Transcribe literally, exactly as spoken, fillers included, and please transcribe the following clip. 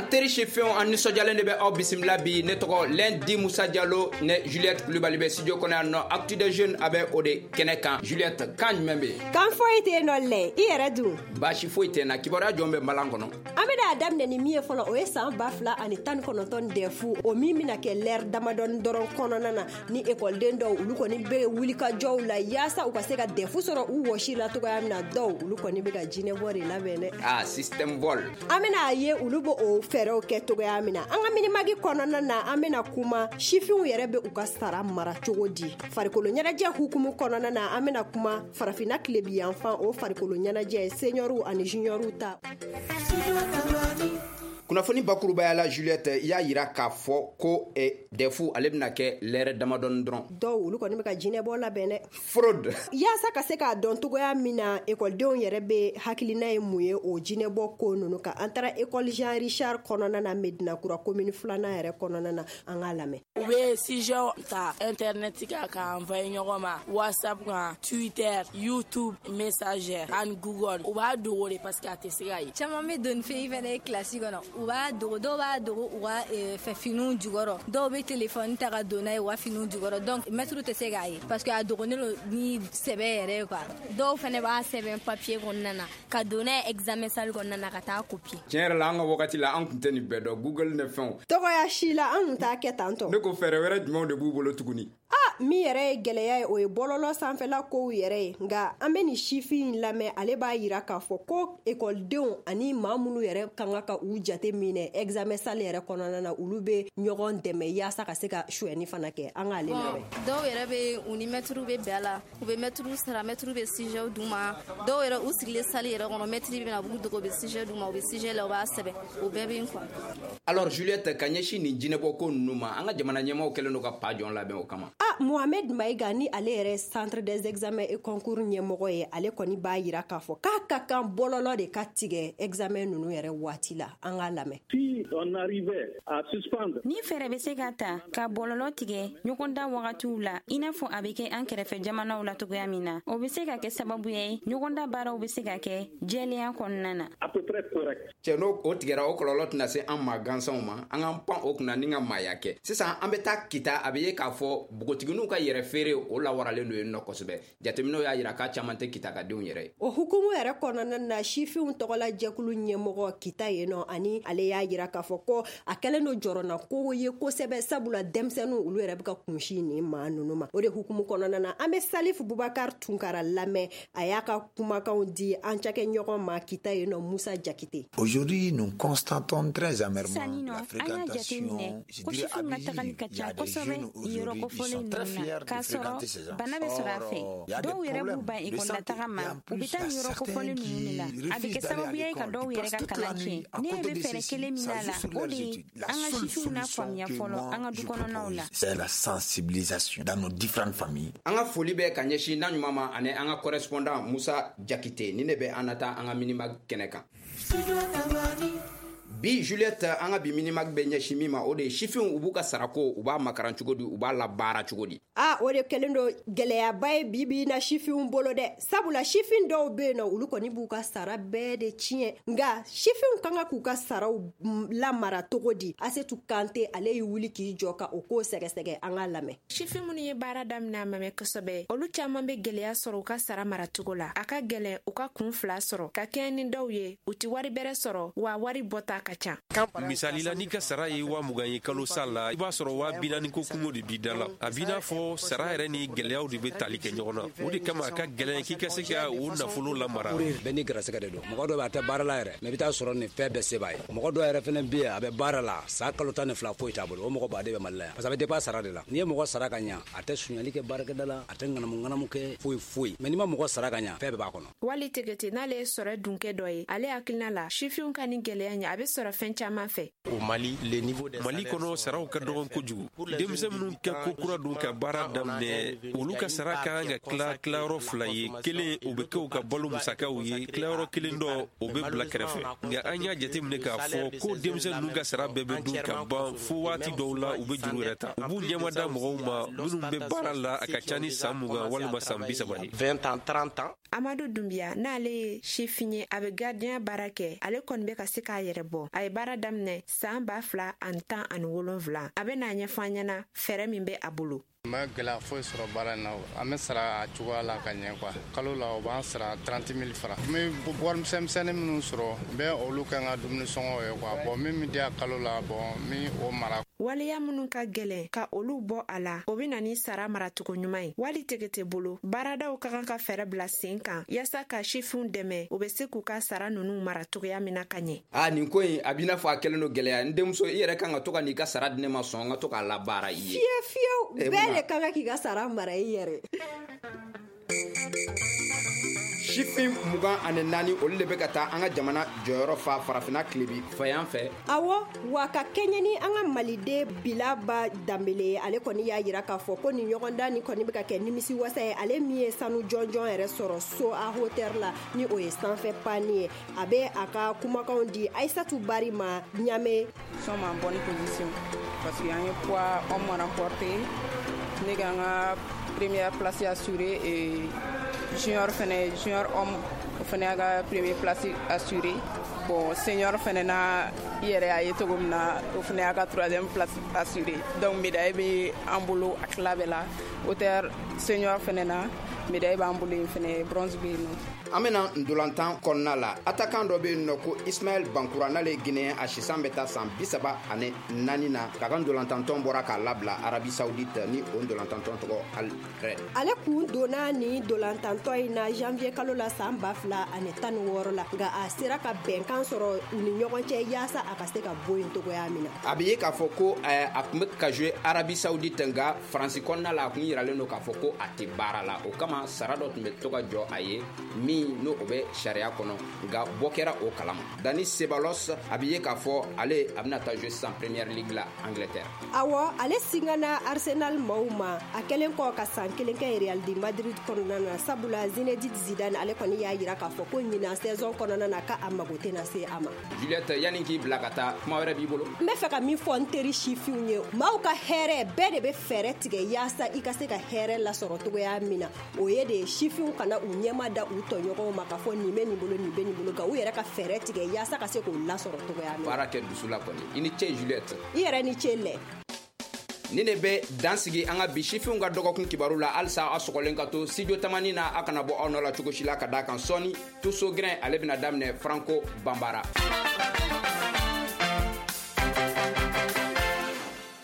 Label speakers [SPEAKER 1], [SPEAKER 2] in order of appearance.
[SPEAKER 1] An teri sifinw, an nisɔndiyalen de bɛ aw bisimila bi. Ne tɔgɔ Lundi Musa Jalo, ne Juliette Kulibali bɛ studio kɔnɔ yan nɔ. Actu des jeunes, a bɛ o de kɛnɛ kan. Juliette, kan jumɛn bɛ yen?
[SPEAKER 2] Kan foyi tɛ yen nɔ lɛ, i yɛrɛ dun?
[SPEAKER 1] Baasi foyi tɛ n na. Kibaruya jɔn bɛ balan kɔnɔ?
[SPEAKER 2] An bɛna a daminɛ ni min ye fɔlɔ, o ye san ba fila ani tan ni kɔnɔntɔn D E F, o min bɛna kɛ lɛri damadɔni dɔrɔn kɔnɔna na, ni ekɔliden dɔw, olu kɔni bɛ wulikajɔw la yaasa u ka se ka D E F sɔrɔ u wɔsi la cogoya min na. Dɔw, olu kɔni bɛ ka jinɛbɔ de labɛn dɛ.
[SPEAKER 1] Ah, système vol.
[SPEAKER 2] An bɛna a ye olu bɛ o fɛɛrɛw kɛ cogoya min na. An ka Mini-Mag kɔnɔna na, an bɛna kuma sifinw yɛrɛ bɛ u ka sara mara cogo di. Farikolo ɲɛnajɛ hukumu kɔnɔna na, an bɛna kuma Farafinna tilebi yanfan, o farikolo ɲɛnajɛ seniorw ani juniorw ta.
[SPEAKER 1] Kunnafoni bakurubaya la, Juliette, i y'a yira k'a fɔ ko eh, D E F, ale bɛna kɛ lɛrɛ damadɔni dɔrɔn.
[SPEAKER 2] Dɔw, olu kɔni bɛ ka jinɛbɔ labɛn dɛ.
[SPEAKER 1] Fraude.
[SPEAKER 2] Yaasa ka se k'a dɔn cogoya min na ekɔlidenw yɛrɛ bɛ hakilina ye mun ye o jinɛbɔ ko ninnu kan, an taara école Jean Richard kɔnɔna na, Medina Kura commune filanan yɛrɛ kɔnɔna na. An k'a lamɛn.
[SPEAKER 3] U bɛ sujet ta internet kan k'a envoyer ɲɔgɔn ma, WhatsApp kan, Twitter, YouTube Messenger ani Google. U b'a dogo de parce que a tɛ se ka ye.
[SPEAKER 4] Caman bɛ don fɛn fɛnɛ ye kilasi kɔnɔ, u b'a dogo. Dɔw b'a dogo u ka fɛ finiw jukɔrɔ, dɔw bɛ telefɔni ta ka don n'a ye u ka finiw jukɔrɔ, donc mɛtiriw tɛ se k'a ye parce que a dogonnen don ni sɛbɛ yɛrɛ ye quoi.
[SPEAKER 5] Dɔw fɛnɛ b'a sɛbɛn papier kɔnɔna na ka don n'a ye examen salle kɔnɔna na ka taa copier.
[SPEAKER 1] Tiɲɛ yɛrɛ la, an ka wagati la, an tun tɛ nin bɛɛ dɔn, Google ne fɛnw.
[SPEAKER 2] Tɔgɔya si la, an tun t'a kɛ tan tɔ.
[SPEAKER 1] Ne ko, fɛɛrɛ wɛrɛ jumɛnw de b'u bolo tuguni?
[SPEAKER 2] A min yɛrɛ ye gɛlɛya ye, o ye bɔlɔlɔ sanfɛla kow yɛrɛ ye. Nka an bɛ nin sifin in lamɛn, ale b'a yira k'a fɔ ko ekɔlidenw ani maa minnu yɛrɛ kan ka u jate minɛ examen salle yɛrɛ kɔnɔna na, olu bɛ ɲɔgɔn dɛmɛ yaasa ka se ka suyɛni fana kɛ. An k'ale lamɛn.
[SPEAKER 6] Dɔw yɛrɛ bɛ, u ni mɛtiriw bɛ bɛn a la, u bɛ mɛtiriw sara, mɛtiriw bɛ sujet d'u ma. Dɔw yɛrɛ, u sigilen salle yɛrɛ kɔnɔ, mɛtiri bɛ na, u b'u dogo, u bɛ sujet d'u ma, u bɛ sujet la, u b'a sɛbɛn, o bɛɛ bɛ yen quoi.
[SPEAKER 1] Alors Juliette, ka ɲɛsin nin jinɛbɔ ko ninnu ma, an ka jamana ɲɛmaaw kɛlen don ka pa jɔn labɛn o kama.
[SPEAKER 2] A Mohamed Mayiga, ni ale yɛrɛ Centre des examens et concours ɲɛmɔgɔ ye, ale kɔni b'a yira k'a fɔ k'a ka kan bɔlɔlɔ de ka tigɛ examen ninnu yɛrɛ waati la. An k'a lamɛn.
[SPEAKER 7] Si on arrivait à suspendre
[SPEAKER 8] Ni fɛɛrɛ bɛ se ka ta ka bɔlɔlɔ tigɛ ɲɔgɔndan wagatiw la, i n'a fɔ a bɛ kɛ an kɛrɛfɛ jamanaw la cogoya min na, o bɛ se ka kɛ sababu ye ɲɔgɔndan baaraw bɛ se ka kɛ jɛlenya kɔnɔna na.
[SPEAKER 7] À peu près correct.
[SPEAKER 1] Cɛ, n'o o tigɛra, o kɔlɔlɔ tɛna se an ma gansanw ma. An k'an pan o kunna ni ka maaya kɛ. Sisan an bɛ taa Kita. A bɛ ye k'a fɔ npogotigininw ka yɛrɛ feere, o lawaralen don yen nɔ kosɛbɛ. Jateminɛw y'a yira k'a caman tɛ Kita ka denw yɛrɛ ye.
[SPEAKER 2] O hukumu yɛrɛ kɔnɔna na, sifinw tɔgɔla jɛkulu ɲɛmɔgɔ Kita yen nɔ, ani ale y'a yira k'a fɔ ko a kɛlen don jɔrɔna ko ye kosɛbɛ, sabula denmisɛnninw, olu yɛrɛ bɛ ka kunsi nin maa ninnu ma. O de hukumu kɔnɔna na, an bɛ Salifu Bubakar Tunkara lamɛn, a y'a ka kumakanw di an cakɛ ɲɔgɔn ma Kita yen nɔ, Musa Jakite.
[SPEAKER 9] Aujourd'hui, nous constatons très amèrement
[SPEAKER 8] Sani nɔ,
[SPEAKER 9] la
[SPEAKER 8] an y'a jateminɛ
[SPEAKER 9] fréquentation,
[SPEAKER 8] ko sifinw ka tagali ka ca kosɛbɛ nin yɔrɔ kofɔlen ninnu na, k'a sɔrɔ bana bɛ sɔrɔ a fɛ. Dɔw yɛrɛ b'u ban ekɔli ma, u bɛ taa nin yɔrɔ kofɔlen ninnu de la. A bɛ kɛ sababu ye ka dɔw yɛrɛ ka kalan tiɲɛ. Ne ɲɛ bɛ fɛɛrɛ kelen min na la, o de ye an ka sifinw n'a faamuya fɔlɔ an ka du kɔnɔnaw la.
[SPEAKER 9] C'est la sensibilisation dans nos différentes familles.
[SPEAKER 1] An ka foli bɛ ka ɲɛsin n'a ɲuman ma ani an ka correspondant Musa Jakite. Ni ne bɛ an na taa an ka Mini-Mag kɛnɛ kan bi. Juliette, an ka bi Mini-Mag bɛ ɲɛsin min ma, o de ye sifinw, u b'u ka sarako, u b'a makaran cogo di, u b'a labaara cogo di?
[SPEAKER 2] A o de kɛlen don gɛlɛyaba ye bi bi na sifinw bolo dɛ, sabula sifin dɔw bɛ yen nɔ, olu kɔni b'u ka sara bɛɛ de tiɲɛ. Nka sifinw kan ka k'u ka saraw lamara cogo di? Asetu Kante, ale y'i wuli k'i jɔ ka o ko sɛgɛsɛgɛ. An k'a lamɛn.
[SPEAKER 10] Sifin minnu ye baara daminɛ a ma mɛn kosɛbɛ, olu caman bɛ gwɛlɛya sɔrɔ u ka sara maracogo la. A ka gwɛlɛn u ka kun fila sɔrɔ ka kɛɲɛ ni dɔw ye, u ti wari bɛrɛ sɔrɔ, wa wari bɔta ka ca.
[SPEAKER 11] Misali la, n'i ka sara ye waa mugan ye kalo sa la, i b'a sɔrɔ waa bi naani ko kungo de b'i da la. A b'i n'a fɔ sara yɛrɛ ni gwɛlɛyaw de bɛ tali kɛ ɲɔgɔn na. O de kama a ka gwɛlɛn k'i ka se ka o nafolo lamara.
[SPEAKER 12] Bɛɛ ni gɛrɛsɛgɛ de don. Mɔgɔ dɔ bɛ, a tɛ baara la yɛrɛ, mɛ i bɛ taa sɔrɔ nin fɛn bɛɛ se b'a ye. Mɔgɔ dɔw yɛrɛ fɛnɛ bɛ yen, a bɛ baara la, san kalo tan ni fila, foyi t'a bolo. O mɔgɔ baden bɛ Mali la yan, parce que a bɛ dépend sara de la. N'i ye mɔgɔ sara ka ɲa, a tɛ suɲɛli kɛ baarakɛda la, a tɛ ŋanamu ŋanamu kɛ, foyi foyi. Mɛ n'i ma mɔgɔ sara ka ɲa, fɛn bɛɛ b'a kɔnɔ.
[SPEAKER 10] Wali Tegete, n'ale ye sɔrɔ dunkɛ dɔ ye, ale hakilina la, sifinw ka nin gwɛlɛya ɲɛ, a bɛ sɔrɔ fɛn caman fɛ.
[SPEAKER 11] Mali kɔnɔ, saraw ka dɔgɔn kojugu. Denmisɛn minnu kɛ ko kura don ka baara daminɛ, olu ka sara ka kan ka tila tilayɔrɔ fila ye: kelen, o bɛ kɛ u ka balo musakaw ye, tilayɔrɔ kelen dɔ, o bɛ bila kɛrɛfɛ. Nka an y'a jateminɛ k'a fɔ ko denmisɛn ninnu ka sara bɛɛ bɛ dun ka ban, fo waati dɔw la, u bɛ juru yɛrɛ ta, u b'u ɲɛmada mɔgɔw ma minnu bɛ baara la a ka ca ni san mugan walima san bi saba ye.
[SPEAKER 10] Amadu Dunbiya, n'ale ye sifin ye, a bɛ gardien baara kɛ, ale kɔni bɛ ka se k'a yɛrɛ bɔ. A ye baara daminɛ san ba fila ani tan ani wolonfila. A bɛ n'a ɲɛfɔ an ɲɛna fɛɛrɛ min bɛ a bolo.
[SPEAKER 13] N ma gɛlɛya foyi sɔrɔ baara in na, an bɛ sara a cogoya la ka ɲɛ quoi. Kalo la, o b'an sara trente mille francs. N bɛ wari misɛnmisɛnnin minnu sɔrɔ, n bɛ olu kɛ n ka dumuni sɔngɔw ye quoi. Bon, min bɛ di yan kalo la, bon, n bɛ o mara.
[SPEAKER 10] Waleya minnu ka gɛlɛn ka olu bɔ a la, o bɛ na ni sara maracogo ɲuman ye. Wali tɛgɛ tɛ bolo, baaradaw ka kan ka fɛɛrɛ bila sen kan yaasa ka sifinw dɛmɛ, u bɛ se k'u ka sara ninnu mara cogoya min na ka ɲɛ.
[SPEAKER 1] A nin ko in a b'i n'a fɔ a kɛlen don gɛlɛya. N denmuso, i yɛrɛ kan ka to ka n'i ka sara di ne ma sɔn n ka to k'a labaara i ye.
[SPEAKER 2] Fiyewu fiyewu, bɛɛ de ka kan k'i ka sara mara i yɛrɛ.
[SPEAKER 1] Sifin mugan ani naani, olu de bɛ ka taa an ka jamana jɔyɔrɔ fa Farafinna tilebi fayan fɛ.
[SPEAKER 2] Awɔ, wa ka kɛɲɛ ni an ka Maliden Bilaba Danbele ye, ale kɔni y'a yira k'a fɔ ko nin ɲɔgɔndan nin kɔni bɛ ka kɛ nimisi wasa ye. Ale min ye sanu jɔnjɔn yɛrɛ sɔrɔ so a hauteur la, ni o ye sanfɛ panni ye. A bɛ a ka kumakanw di Aïssatou Bari ma Ɲame.
[SPEAKER 14] Nous sommes en bonne position parce que an ye poids homme remporté, ne ka n ka première place assurée, et junior fɛnɛ, junior homme, o fɛnɛ y'a ka première place assurée. Bon, senior fɛnɛ na, i yɛrɛ y'a ye cogo min na, o fɛnɛ y'a ka troisième place assurée. Donc médaille bɛ an bolo a tila bɛɛ la. Hauteur senior fɛnɛ na, médaille b'an bolo yen fɛnɛ, bronze bɛ yen nɔ.
[SPEAKER 1] An bɛna ndolantan kɔnɔna la, attaquant dɔ bɛ yen nɔ ko Ismaël Bankura, n'ale ye Guinéen, a sisan bɛ taa san bi saba ani naani na, k'a ka ndolantantɔn bɔra k'a labila Arabie Saoudite, ni o ndolantantɔn tɔgɔ Al Red.
[SPEAKER 2] Ale kun donna nin ndolantantɔn in na janvier kalo la san ba fila ani tan ni wɔɔrɔ la, nka a sera ka bɛnkan sɔrɔ u ni ɲɔgɔn cɛ yaasa a ka se ka bɔ yen cogoya min na.
[SPEAKER 1] A bɛ ye k'a fɔ ko a tun bɛ ka jouer Arabie Saoudite, nka Faransi kɔnɔna la, a tun yiralen don k'a fɔ ko a tɛ baara la. O kama sara dɔ tun bɛ to ka jɔ a ye min n'o o bɛ sariya kɔnɔ, nka bɔ kɛra o kalama. Dani Ceballos, a bɛ ye k'a fɔ ale a bɛna taa jouer sisan Premier League la Angleterre.
[SPEAKER 2] Awɔ, ale singana Arsenal maaw ma a kɛlen kɔ ka san kelen kɛ Real de Madrid kɔnɔna na, sabula Zinedine Zidane ale kɔni y'a yira k'a fɔ ko ɲinan saison kɔnɔna na k'a mago tɛna se a ma.
[SPEAKER 1] Juliette, yanni k'i bila ka taa, kuma wɛrɛ b'i bolo?
[SPEAKER 2] N bɛ fɛ ka min fɔ n teri sifinw ye, maaw ka hɛrɛ, bɛɛ de bɛ fɛɛrɛ tigɛ yaasa i ka se ka hɛrɛ lasɔrɔ cogoya min na. O ye de sifinw kana u ɲɛma da u tɔɲɔgɔnw ma k'a fɔ nin bɛ nin bolo, nin bɛ nin bolo, nka u yɛrɛ ka fɛɛrɛ tigɛ yaasa ka se k'o lasɔrɔ cogoya min na.
[SPEAKER 1] Baara kɛ dusu la kɔni. I ni ce Juliette.
[SPEAKER 2] I yɛrɛ ni ce lɛ.
[SPEAKER 1] Ni ne bɛ dan sigi an ka bi sifinw ka dɔgɔkun kibaru la. Halisa aw sɔgɔlen ka to studio Tamani na, a kana bɔ aw nɔ la cogo si la, ka d'a kan sɔɔni Tuso Grin ale bɛna daminɛ Franco Banbara.